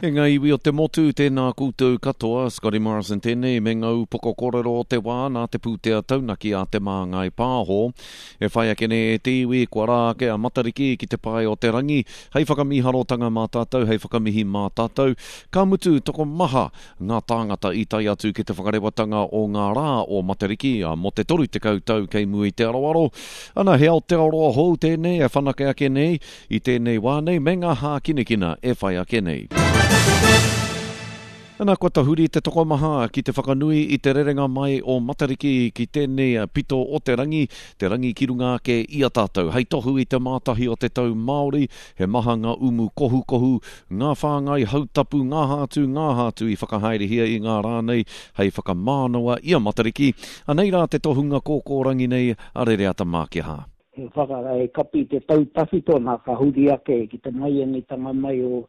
E ngā iwi o te motu, tēnā koutou katoa, Scotty Morrison tēnei me ngā upoko kōrero o te wā nā te pūtea taunaki a Te Māngai Pāho. E whai ake nei e te iwi, kua rā ake a Matariki ki te pae o te rangi, hei whakamīharotanga mā tātou, hei whakamihi mā tātou. Ka mutu, tokomaha ngā tāngata i tae atu ki te whakarewatanga o ngā rā o Matariki mō te 30 tau kei mua i te aroaro. Ana, he Aotearoa hou tēnei e whanake ake nei i tēnei wā nei me ngā hākinakina e whai ake nei. Ana, kua tahuri te tokomaha ki te whakanui i te rerenga mai o Matariki ki tēnei pito o te rangi, te rangi ki runga ake i a tātou. Hei tohu i te mātahi o te tau Māori, he maha ngā umu kohukohu, ngā whāngai hautapu, ngā hātu, ngā hātu i whakahaerehia i ngā rā nei hei whakamānawa i a Matariki. Anei rā te tohunga kōkōrangi nei a Rereata Mākiha. He whaka, he kapi te tau tawhito nā ka huri ake ki te maianitanga mai o,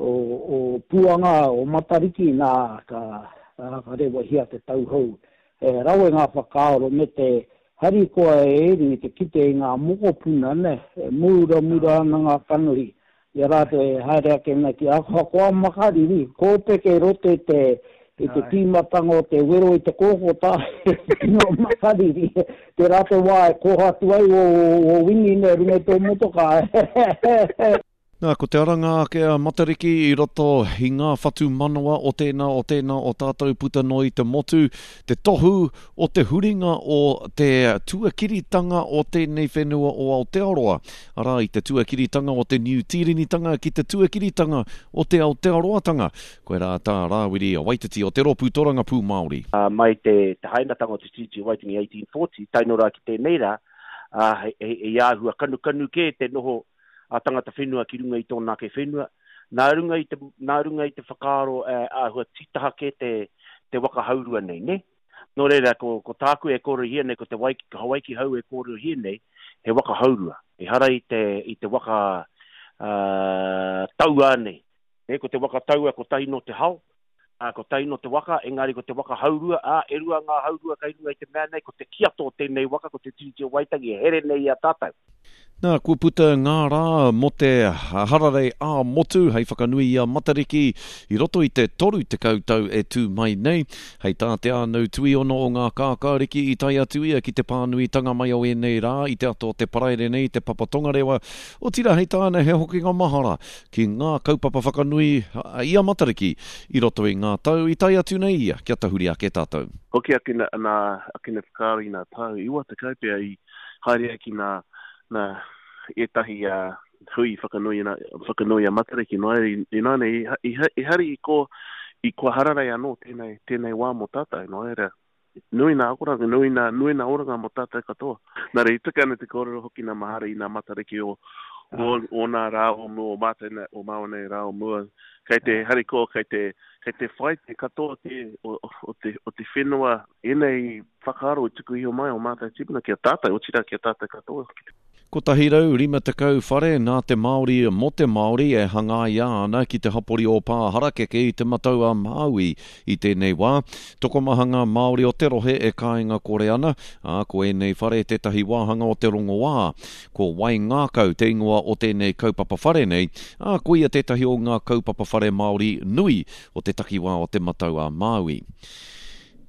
o, o Puanga, o Matariki nā ka, ka rewahia te tau hou. He rawe ngā whakaaro me te harikoa e Eru i te kite i ngā mokopuna, nē, e mūramura ana ngā kanohi I a rātou e haere ake ana ki Akoakoa Makariri, kōpeke roto i te, i te tīmatanga o te wero i te kōkota, tino makariri, tērā te wā e koha atu ai ō, ō wini nei runga i tō motokā. Nā, ko te aranga ake a Matariki i roto i ngā whatumanawa o tēnā, o tēnā o tātou puta noa i te motu, te tohu o te huringa o te tuakiritanga o tēnei whenua o Aotearoa, arā, i te tuakiritanga o te Niu Tīrenitanga ki te tuakiritanga o te Aotearoatanga. Koirā tā Rāwiri Waititi o Te Rōpū Torangapū Māori. Mai te hainatanga o te Tiriti o Waitangi 1840 tae noa rā ki tēnei rā, ā, hei āhua kanukanu kē te noho a tangata whenua ki runga i tōna ake whenua. Nā runga i te, nā runga i te whakaaro āhua tītaha kē te, te waka haurua nei, nē? Nō reira, ko, ko tāku e kōrerohia nei, ko te wai, Hawaiki hau e kōrerohia nei, he waka haurua. Ehara i te, i te waka uh, tauā nei. Nē, ko te waka taua kotahi nō te hao, ā, kotahi nō te waka, engari ko te waka haurua, ā, e rua ngā haurua kei runga i te mea nei, ko te kiato o tēnei waka, ko te Tiriti o Waitangi e here nei i a tātou. Nā, kua puta ngā rā mō te hararei ā-motu hei whakanui i a Matariki i roto i te 30 tau e tū mai nei. Hei tā Te Ānau Tuiono o Ngā Kākāriki i tae atu ia ki te pānuitanga mai o ēnei rā i te ata o te Paraire nei i Te Papa Tongarewa, otirā hei tāna he hokinga mahara ki ngā kaupapa whakanui i a Matariki i roto i ngā tau i tae atu nei ia kia tahuri ake tātou. Hoki ake nā whakaaro i ngā tau 90 pea i haere ai ki nā, nā ētahi hui whakanui, whakanui a Matariki, nō reira, ināianei, i, i, i hari i ko, i kua hararei anō tēnei, tēnei wā mō tātou, nō reira, nui nā akoranga, nui nā, nui nā oranga mō tātou katoa. Nā reira, i tika ana te kōrero hoki nā Mahara i nā Matariki o, o, o nā rā o mua, o mātou nei, o māua nei rā o mua, kei te harikoa, kei te, kei te whai te katoa te, o, o te, o te whenua, ēnei whakaaro i tuku iho mai o mātou tīpuna ki a tātou, otirā ki a tātou katoa. 150 whare nā te Māori mō te Māori e hangaia ana ki te hapori o Pāharakeke i Te Matau-a-Māui i tēnei wā. Tokomaha ngā Māori o te rohe e kāinga kore ana, ā, ko ēnei whare tētahi wāhanga o te rongoā. Ko Waingākau te ingoa o tēnei kaupapa whare nei, ā, koia tētahi o ngā kaupapa whare Māori nui o te takiwā o Te Matau-a-Māui.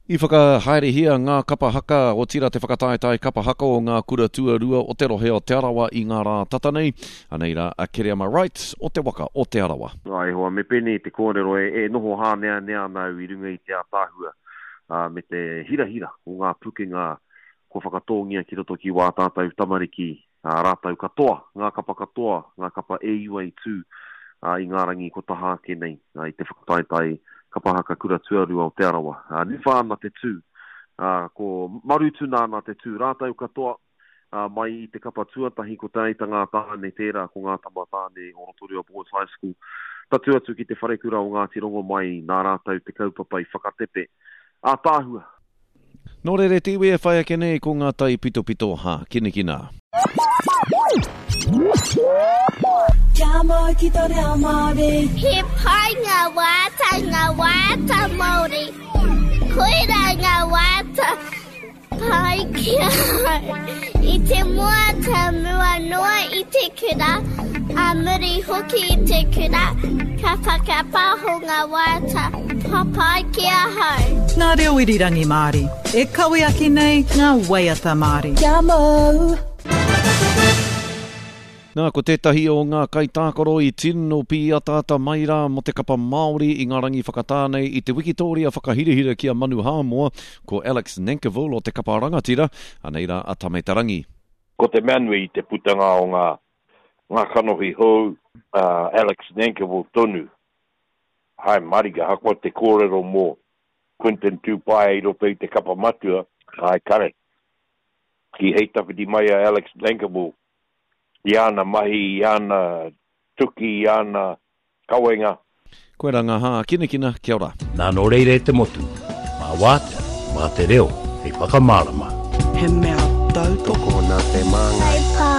I whakahaerehia ngā kapa haka, otirā te whakataetae kapa haka o ngā kura tuarua o te rohe o Te Arawa i ngā rā tata nei. Anei rā a Kereama Wright o te waka o Te Arawa. E hoa, me pēnei te kōrero, e noho hāneanea ana au i runga i te ātaahua me te hirahira o ngā pukenga kua whakatōngia ki roto ki wā tātou tamariki ā rātou katoa, ngā kapa katoa, ngā kapa e iwa i tū i ngā rangi kua taha ake nei i te whakataetae kapa haka kura tuarua o Te Arawa. Niwha ana te tū, ko Marutuna ana te tū, rātou katoa mai i te kapa tuatahi ko Te Aita Ngā Tāne tērā ko ngā tama tāne o Rotorua Boys High School, tatū atu ki te wharekura o Ngāti Rongomai nā rātou te kaupapa i whakatepe. Ātaahua! Nō reira te iwi e whai ake nei ko ngā taipitopito hākinakina. Kia mau ki tō reo Māori. He pai ngā waiata, ngā waiata Māori. Koirā ngā waiata pai ki ahau. I te moata mua noa i te kura. Ā muri hoki i te kura, ka whakapāho ngā waiata papai ki ahau. Ngā reo irirangi Māori, e kawe ake nei ngā waiata Māori. Kia mau! Nā, ko tētahi o ngā kaitākaro i tino pīataata mai rā mō te kapa Māori i ngā rangi whakatā nei i te wikitōria whakahirahira ki a Manu Hāmoa, ko Alex Nankivell o te kapa rangatira, anei rā a Tame Te Rangi. Ko te mea nui i te putanga o ngā ngā kanohi hou, a Alex Nankivell tonu, hae marika, ahakoa te kōrero mō Quinton Tupaea i roto i te kapa matua, hae kare, ki hei tawhiti mai a Alex Nankivell i āna mahi, i āna tuki, i āna kawenga. Koirā ngā hākinakina, kia ora. Nā nō reira e te motu, mā wātea, mā te reo hei whakamārama. He mea tautoko nā te māngai. Hei pā.